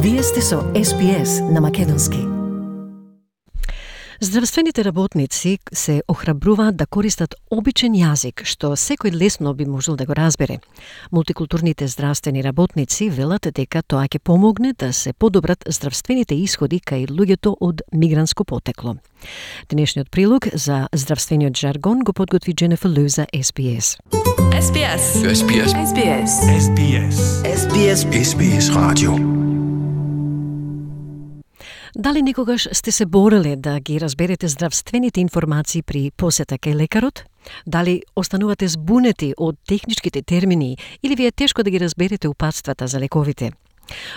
Вие сте со SPS на македонски. Здравствените работници се охрабруваат да користат обичен јазик, што секој лесно би можел да го разбере. Мултикултурните здравствени работници велат дека тоа ќе помогне да се подобрат здравствените исходи кај луѓето од мигрантско потекло. Денешниот прилог за здравствениот жаргон го подготви Дженефер Лу за SBS. SBS. SBS. SBS. SBS. SBS. SBS Radio. Дали некогаш сте се бореле да ги разберете здравствените информации при посета кај лекарот? Дали останувате збунети од техничките термини или ви е тешко да ги разберете упатствата за лековите?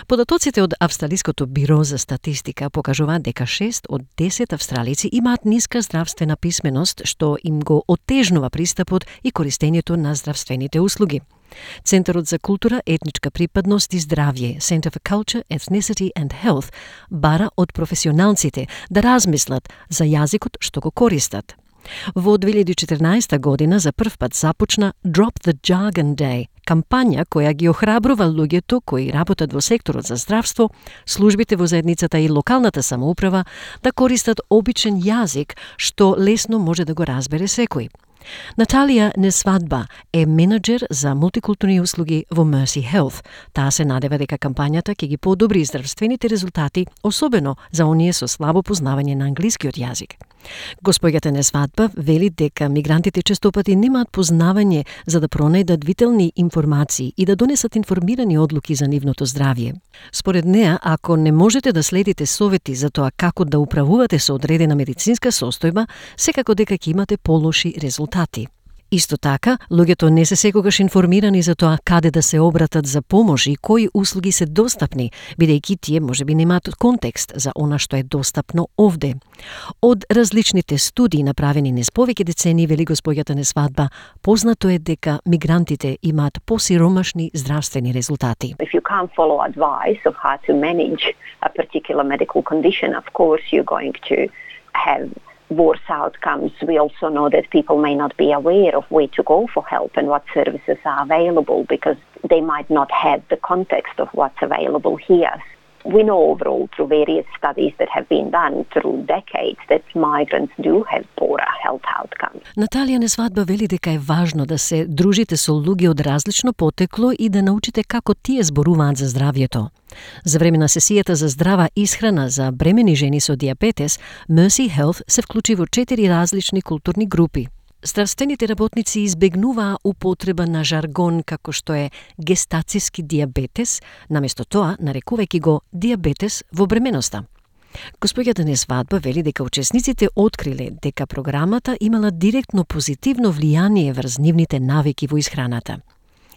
Податоците од Австралиското биро за статистика покажуваат дека 6 од 10 австралици имаат ниска здравствена писменост, што им го отежнува пристапот и користењето на здравствените услуги. Центарот за култура, етничка припадност и здравје, Center for Culture, Ethnicity and Health, бара од професионалците да размислат за јазикот што го користат. Во 2014 година за прв пат започна Drop the Jargon Day, кампања која ги охрабрува луѓето кои работат во секторот за здравство, службите во заедницата и локалната самоуправа да користат обичен јазик што лесно може да го разбере секој. Наталија Несвадба е менеджер за мултикултурни услуги во Mercy Health. Таа се надева дека кампањата ќе ги подобри здравствените резултати, особено за оние со слабо познавање на англискиот јазик. Госпоѓата Несвадба вели дека мигрантите честопати немаат познавање за да пронајдат витални информации и да донесат информирани одлуки за нивното здравје. Според неа, ако не можете да следите совети за тоа како да управувате со одредена медицинска состојба, секако дека ќе имате полоши резултати. Исто така, луѓето не се секогаш информирани за тоа каде да се обратат за помош и кои услуги се достапни, бидејќи тие можеби немаат контекст за она што е достапно овде. Од различните студии направени низ повеќе децении, вели госпоѓата Несвадба, познато е дека мигрантите имаат посиромашни здравствени резултати. If you can't follow advice of how to manage a particular medical condition, of course you're going to have worse outcomes. We also know that people may not be aware of where to go for help and what services are available because they might not have the context of what's available here. We know overall through various studies that have been done through decades that migrants do have poorer health outcomes. Наталија Несвадба вели дека е важно да се дружите со луѓе од различно потекло и да научите како тие зборуваат за здравјето. За време на сесијата за здрава исхрана за бремени жени со дијабетес, Mercy Health се вклучи во 4 различни културни групи. Здравствените работници избегнуваа употреба на жаргон како што е гестацијски дијабетес, наместо тоа нарекувајќи го дијабетес во бременоста. Госпоѓата Несвадба вели дека учесниците откриле дека програмата имала директно позитивно влијание врз нивните навики во исхраната.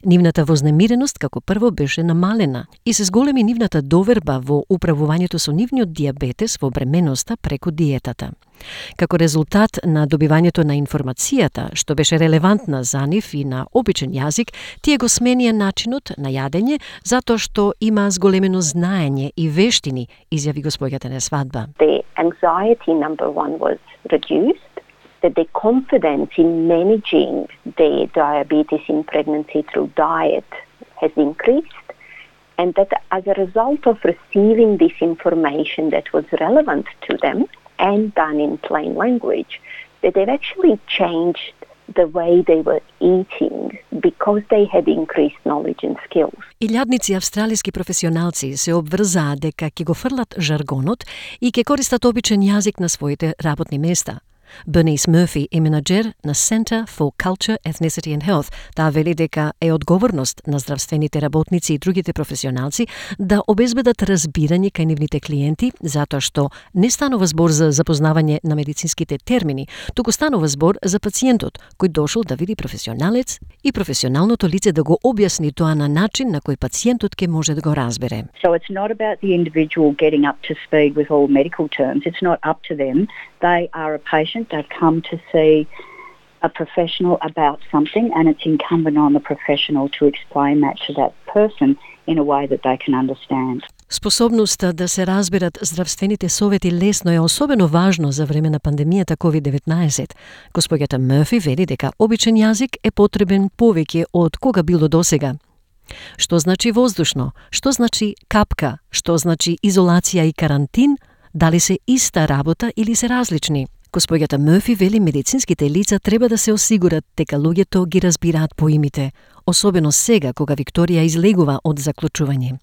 Нивната вознемиреност како прво беше намалена и се зголеми нивната доверба во управувањето со нивниот дијабетес во бременоста преку диетата. Како резултат на добивањето на информацијата, што беше релевантна за нив и на обичен јазик, тие го сменија начинот на јадење затоа што има зголемено знаење и вештини, изјави госпоѓата Несвадба. The anxiety number one was reduced, that the confidence in managing their diabetes in pregnancy through diet has increased, and that as a result of receiving this information that was relevant to them and done in plain language, that they've actually changed the way they were eating because they had increased knowledge and skills. Илјадници австралиски професионалци се обврзаа дека ќе го фрлат жаргонот и ќе користат обичен јазик на своите работни места. Bernice Murphy е менеджер на Center for Culture, Ethnicity and Health. Таа вели дека е одговорност на здравствените работници и другите професионалци да обезбедат разбирање кај нивните клиенти, затоа што не станува збор за запознавање на медицинските термини, туку станува збор за пациентот, кој дошол да види професионалец и професионалното лице да го објасни тоа на начин на кој пациентот ќе може да го разбере. So it's not about the individual getting up to speed with all medical terms. It's not up to them. They are a patient. They've come to see a professional about something, and it's incumbent on the professional to explain that to that person in a way that they can understand. Способноста да се разберат здравствените совети лесно е особено важно за време на пандемијата COVID-19. Госпоѓата Мърфи вели дека обичен јазик е потребен повеќе од кога било досега. Што значи воздушно? Што значи капка? Што значи изолација и карантин? Дали се иста работа или се различни? Госпоѓата Мърфи вели медицинските лица треба да се осигурат дека луѓето ги разбираат поимите, особено сега кога Викторија излегува од заклучување.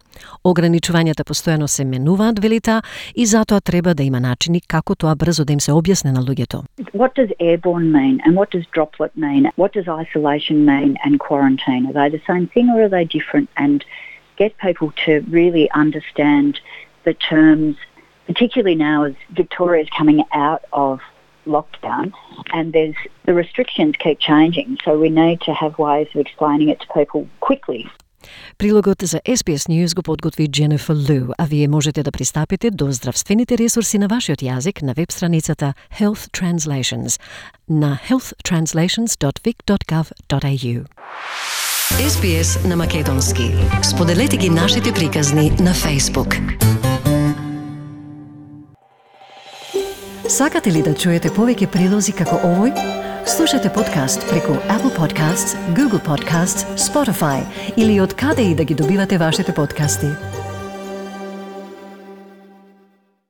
Ограничувањата постојано се менуваат, вели таа, и затоа треба да има начини како тоа брзо да им се објасне на луѓето. What does airborne mean and what does droplet mean? What does isolation mean and quarantine? Are they the same thing or are they different? And get people to really understand the terms, particularly now as Victoria is coming out of lockdown and the restrictions keep changing, so we need to have ways of explaining it to people quickly. Прилогот за SBS News го подготви Jennifer Liu, а вие можете да пристапите до здравствените ресурси на вашиот јазик на веб страницата Health Translations на healthtranslations.vic.gov.au. SBS на македонски. Споделете ги нашите приказни на Facebook. Сакате ли да чуете повеќе прилози како овој? Слушате подкаст преку Apple Podcasts, Google Podcasts, Spotify или од каде и да ги добивате вашите подкасти.